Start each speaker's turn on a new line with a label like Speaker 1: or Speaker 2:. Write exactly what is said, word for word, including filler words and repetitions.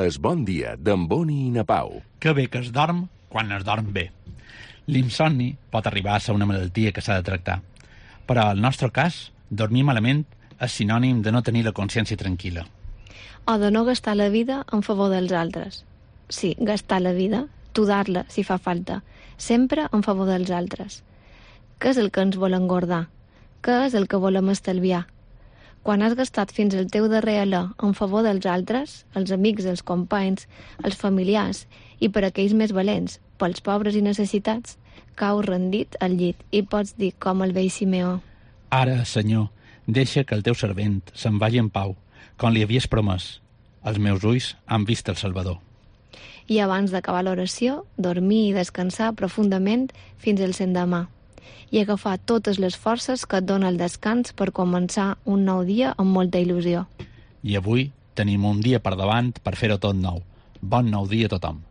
Speaker 1: Es bon dia d'en Boni i na Pau.
Speaker 2: Que bé que es dorm quan es dorm bé. L'insomni pot arribar a ser una malaltia que s'ha de tractar, però al nostre cas, dormir malament és sinònim de no tenir la consciència tranquil·la.
Speaker 3: O de no gastar la vida en favor dels altres. Sí, gastar la vida, tudar-la si fa falta, sempre en favor dels altres. Què és el que ens vol engordar? Què és el que volem estalviar? Quan has gastat fins al teu darrer alè en favor dels altres, els amics, els companys, els familiars i per aquells més valents, pels pobres i necessitats, caus rendit al llit i pots dir com el vell Simeó:
Speaker 2: Ara, Senyor, deixa que el teu servent se'n vagi en pau, com li havies promès. Els meus ulls han vist el Salvador.
Speaker 3: I abans d'acabar l'oració, dormir i descansar profundament fins al l'endemà i agafar totes les forces que et dona el descans per començar un nou dia amb molta il·lusió.
Speaker 2: I avui tenim un dia per davant per fer-ho tot nou. Bon nou dia a tothom.